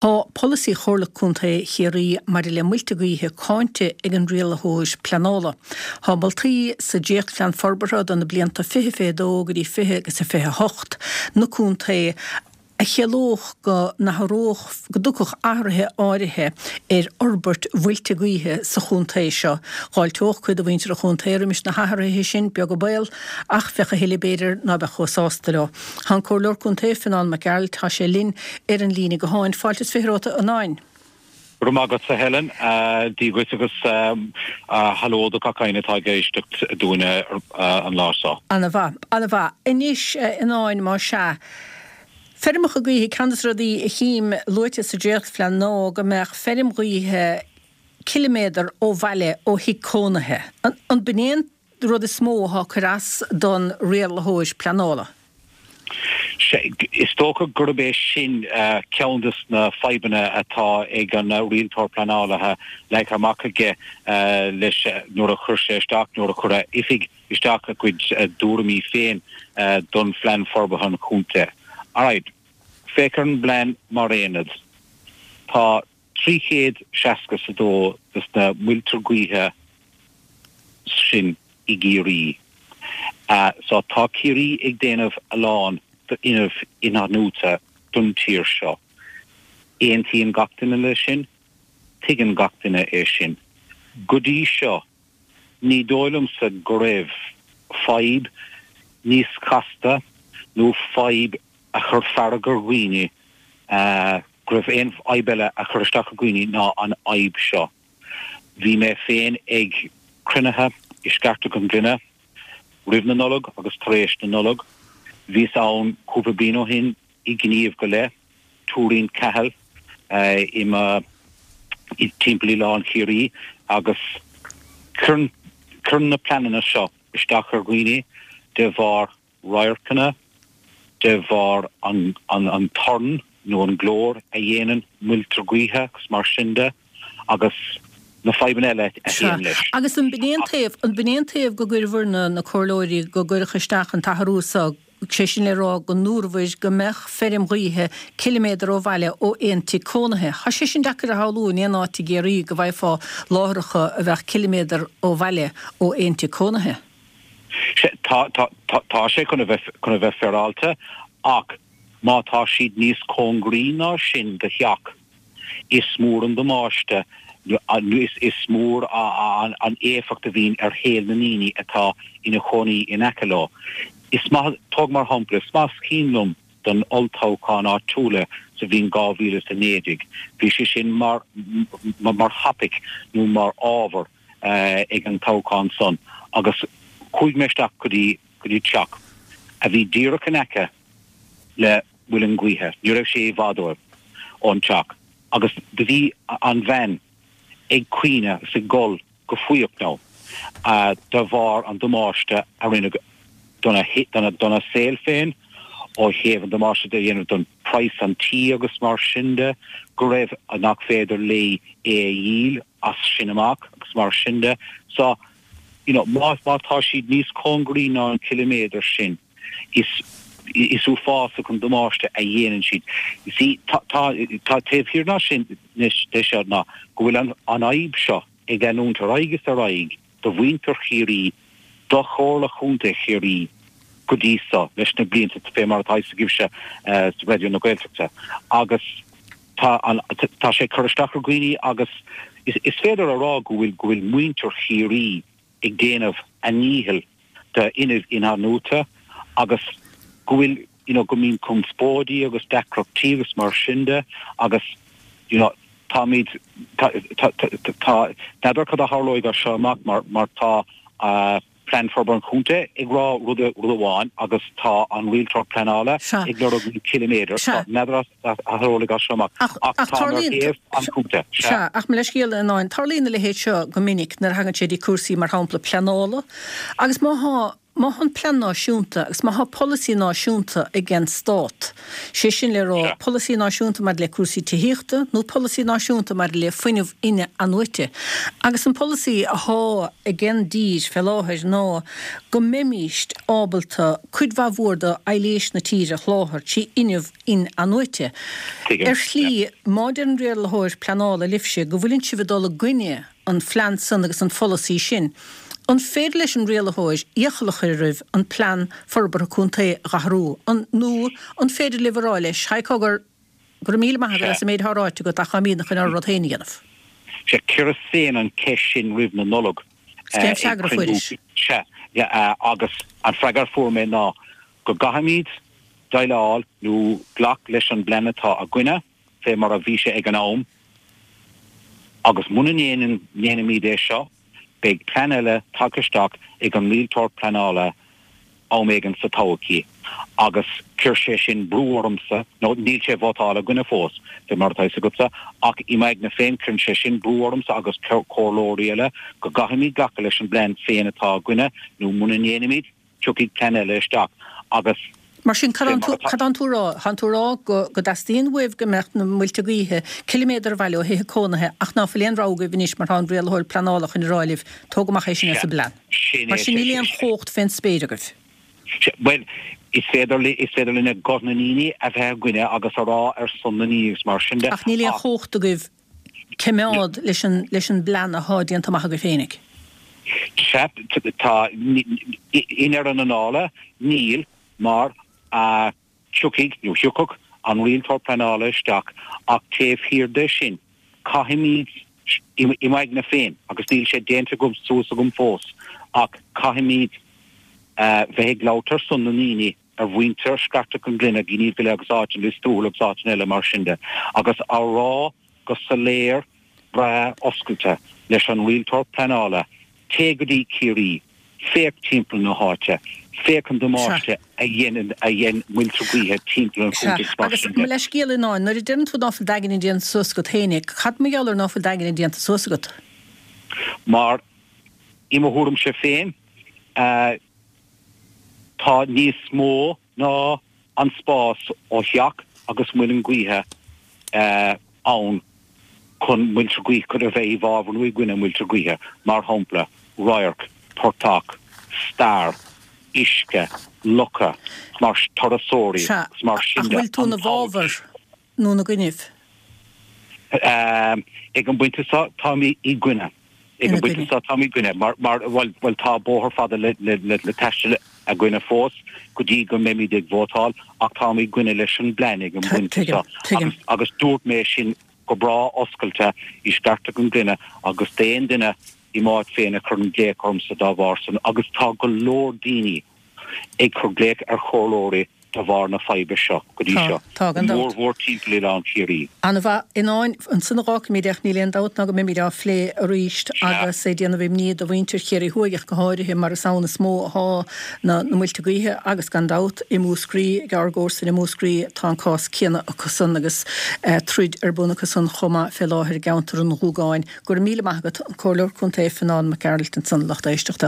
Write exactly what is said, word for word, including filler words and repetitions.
Tá polasaí Chomhairle Contae Chiarraí maidir le muilte gaoithe cáinte ag an rialaitheoir pleanála. Tá moltaí sa dréachtphlean forbartha do na blianta fiche fiche dó go dtí fiche agus a fiche hocht na contae a chiallódh go n-athródh, go dtiocfadh athruithe áirithe ar fhorbairt mhuilte gaoithe sa chontae seo. Dh'fháilteodh cuid de mhuintir an chontae roimis na hathruithe sin, beag an baol, ach bheadh a thuilleadh b'fhéidir ná beadh chomh sásta leo. Tá an Comhairleoir Contae, Fionán Mac Gearailt, tá sé linn ar an líne gutháin. Fáilte is fiche romhat, a Fhionáin. Go raibh maith agatsa Helen, Dia dhuit agus haló do gach éinne atá ag éisteacht dúinn an lá seo. Ana mhaith, ana mhaith. Anois, a Fhionáin, más ea, feirmeacha gaoithe, ceann de na rudaí a chím luaite sa dréachtphlean ná go mbeadh feirm ghaoithe ciliméadar ó bhaile ó thigh cónaithe. An b'in é an rud is mó atá ag cur as don rialaitheoir pleanála? Is dócha gurb é sin ceann de na fadhbanna atá ag an rialtóir pleanála leagtha amach aige leis nuair a chuir sé isteach, nuair a chuir a oifig isteach a gcuid dtuairimí féin don Phlean Forbartha an Chontae. Alright, féach ar an bplean mar aonad. Tá trí chéad seasca is a dó de na muilte gaoithe sin i gCiarraí. So tá Ciarraí ag déanamh a lán d'fhuinneamh inathnuaite don tír seo. Aontaíonn gach duine leis sin, tuigeann gach duine é sin. Go dtí seo, ní dóigh liomsa go raibh fadhb níos casta nó fadhb a chuir fearg ar dhaoine, go raibh aon fhadhb eile a chuir isteach ar dhaoine ná an fhadhb seo. Bhí mé féin ag cruinnithe i Sceartach an Ghlinne roimh na Nollag agus tar éis na Nollag. Bhíos ann cúpla bliain ó shin i ngníomh go leith, Tuairín Cahill i mo timpeall Oileán Chiarraí agus cuireann cuireann na pleananna seo isteach ar dhaoine de bharr radharcanna, de bharr an an torann nó an glór a dhéanann muilte gaoithe agus mar sin de agus na fadhbanna eile a théann leis. Agus an b'in é an taobh, an b'in é an taobh go gcuireabhair na na comhairleoirí go gcuirfeadh isteach an t-athrú so, sé sin le rá go ndúrabhair go mbeadh feirm ghaoithe ciliméadar ó bhaile ó aon tigh cónaithe. Tá sé sin deacair a shamhlú in aon áit i gCiarraí go bhfaighfeá láithreacha a bheadh ciliméadar ó bhaile ó aon tigh cónaithe. Tá, tá, tá, tá sé chun a bheith, chun a bheith féaráilte ach má tá siad níos cóngaraí ná sin do theach, is mór an damáiste, is, is mór an, an éifeacht a bhíonn ar shaol na ndaoine atá ina chónaí in aice leo. Is maith, tóg mar shampla, is maith is cuimhin liom don olltoghchán áitiúla sa bhliain dhá mhíle is a naoi déag, bhí sé sin mar, mar thopaic nó mar ábhar ag an toghchán san agus chuaigh mé isteach go dtí go dtí teach a bhí díreach in aice le muileann gaoithe, ní raibh sé i bhfad uaim ón teach agus do bhí an bhean ag caoineadh is ag gol go fuíoch now de bharr an damáiste a rinneadh dona dona saol féin ó thaobh an damáiste a dhéanamh don praghas an tí agus mar sin de, go raibh nach féidir léi é a dhíol as sin amach agus mar sin de. So, you know, má má tá siad níos cóngaraí ná an ciliméadar sin, is is uafásach an damáiste a dhéanann siad. You see, tá tá tá taobh thiar ná sin de seo ná go bhfuil an an fhadhb seo ag leanúint ar aghaidh is ar aghaidh do mhuintir Chiarraí, do Chomhairle Chontae Chiarraí go dtí so leis na blianta, fé mar atá fhios agaibhse sa Raidió na Gaeltachta agus tá an tá sé ag cur isteach ar dhaoine agus is is féidir a rá go bhfuil go bhfuil muintir Chiarraí ag déanamh a ndícheall d'fhuinneamh inathnuaite agus go bhfuil you know go mbíonn conspóidí agus deacrachtaí agus mar sin de agus you know táimid tá tá tá n'fheadar cad a tharlóidh as seo amach mar mar tá Plean Forbartha an Chontae ag rá rud rud amháin agus tá an rialtóir pleanála ag lorg an ciliméadar so n'fheadar a tharlóidh as seo amach ach ach tá ar thaobh an chontae. Sea, ach mo leithscéal a Fhionáin, tarlaíonn a leithéid seo go minic nuair a thagann sé dtí cúrsaí mar shampla pleanála agus má thá Má thá an plean náisiúnta agus má thá polasaí náisiúnta ag an Stát, sé sin le rá, polasaí náisiúnta maidir le cúrsaí tithíochta nó polasaí náisiúnta maidir le fuinneamh in-athnuaite, agus an polasaí athá ag an dtír fé láthair ná go mbeimíst ábalta cuid mhaith mhór de aibhléis na tíre a sholáthar trí fhuinneamh in-athnuaite. Ar shlí, má deir an rialaitheoir pleanála libhse go bhfuileann sibh ag dul i gcoinne an phlean san agus an pholasaí sin, an féidir leis an rialaitheoir iachall a chur oraibh an plean forbartha contae a dh'athrú, an, nó an féidir libh a rá leis, haigh cogar, go raibh míle maith agat as an méid athá ráite agat ach táimídne chun ár rud féin a dhéanamh? Sea, chuireas féin an cheist sin roimh na Nollag. Is cén freagra a fuairis? Sea, agus an freagra a fuair mé ná go gcaithfimid déileáil nó glac leis an bplean atá againne fé mar a bhí sé ag an am agus muna ndéanaimid é seo beidh plean eile tagtha isteach ag an rialtóir pleanála am éigin sa todhchaí agus chuir sé sin brú ormsa, nó níl sé vótáilte againne fós, fé mar atá fhios agatsa, ach i m'aigne féin cuireann sé sin brú ormsa agus comhairleoirí eile go gcaithfimid glacadh leis an bplean féin atá againne nó muna ndéanaimid, tiocfaidh plean eile isteach agus Mar sin, cad tánn tú a rá? Tánn tú a rá go dteastaíonn uaibh go mbeadh na muilte gaoithe ciliméadar abhaile ó thithe cónaithe ach ná fuil aon rogha agaibh anois mar tá an rialaitheoir pleanála chun a rá libh, tóg amach é sin as an bplean. Mar sin níl aon chumhacht fén spéir agaibh. Bhuel, is féidir is féidir linne guth na ndaoine a bheith againne agus a rá ar son na ndaoine agus mar sin de ach. Ach níl aon chumhacht agaibh coimeád leis an leis an bplean athá déanta amach agaibh féinig. Sea, tá, i ndeireadh na dála, níl, mar a tiocfaidh, nó thiocfadh, an rialtóir pleanála isteach ach taobh thiar de sin, caithfimid, i m'aigne féin, agus níl sé déanta suas agam fós, ach caithfimid bheith ag labhairt ar son na ndaoine, ar mhuintir Scartach an Ghlinne, Gneeveguilla agus áiteanna, Lios Tuathail agus áiteanna eile mar sin de, agus á rá go soiléir breá oscailte leis an rialtóir pleanála, téigh go dtí Ciarraí, féach timpeall na háite, féach an damáiste a dhéanann a dhein muilte gaoithe timpeall an Sea, chontae is mar agus sin mo de. leithscéal a Fhionnáin, nuair a deireann tú ná fuil d'aigne déanta suas agat féinig, cad mar gheall ar ná fuil d'aigne déanta suas agat? Mar, i mo thuairimse féin, tá níos mó ná an spás ó theach agus muileann gaoithe ann chun muilte gaoithe, chun a bheith i bhfabhar nó i gcoinne muilte gaoithe, mar shampla, radharc, portach, stair, uisce, locha, mar turasóirí Sea, agus mar sin ach de, bhfuil tú an ina bhfabhar nó ina gcoinnibh? Ag an bpointe seo, táim i gcoinne. Ag Ina an bpointe gcoinne. seo, táim i gcoinne. Mar, mar, bhuel, bhuel, tá bóthar fada le, le, le, le taisteal againne fós go dtí go mbeimid ag vótáil, ach táim i gcoinne leis an bplean ag an bpointe Tuigim, seo. tuigim. Agus, agus dúirt mé sin go breá oscailte i Scartach an Ghlinne agus d'aon duine i m'áit féin a chuireann glaoch ormsa dá bharr san, agus tá go leor daoine ag cur glaoch ar chomhairleoirí de bharr na faidhbe seo go dtí Tá, seo, tá, go gan dabht. mór mhór timpeall Oileán Ciarraí. Ana-mhaith. A Fhionnáin, ansan a dh'fhágfaimid é ach níl aon dabht ná go mbeimid á phlé arís Sea. agus é ag déanamh imní do mhuintir Chiarraí Thuaidh ach go háirithe mar is ann is mó athá na na muilte gaoithe agus gan dabht i Múscraí, ag ár gcomharsain i Múscraí tá an cás céanna acusan agus troid ar bun acusan chomh maith fé láthair i gceantar an Ghuagáin. Go raibh míle maith agat, an Comhairleoir Contae Fionán Mac Gearailt ansan, lucht éisteachta.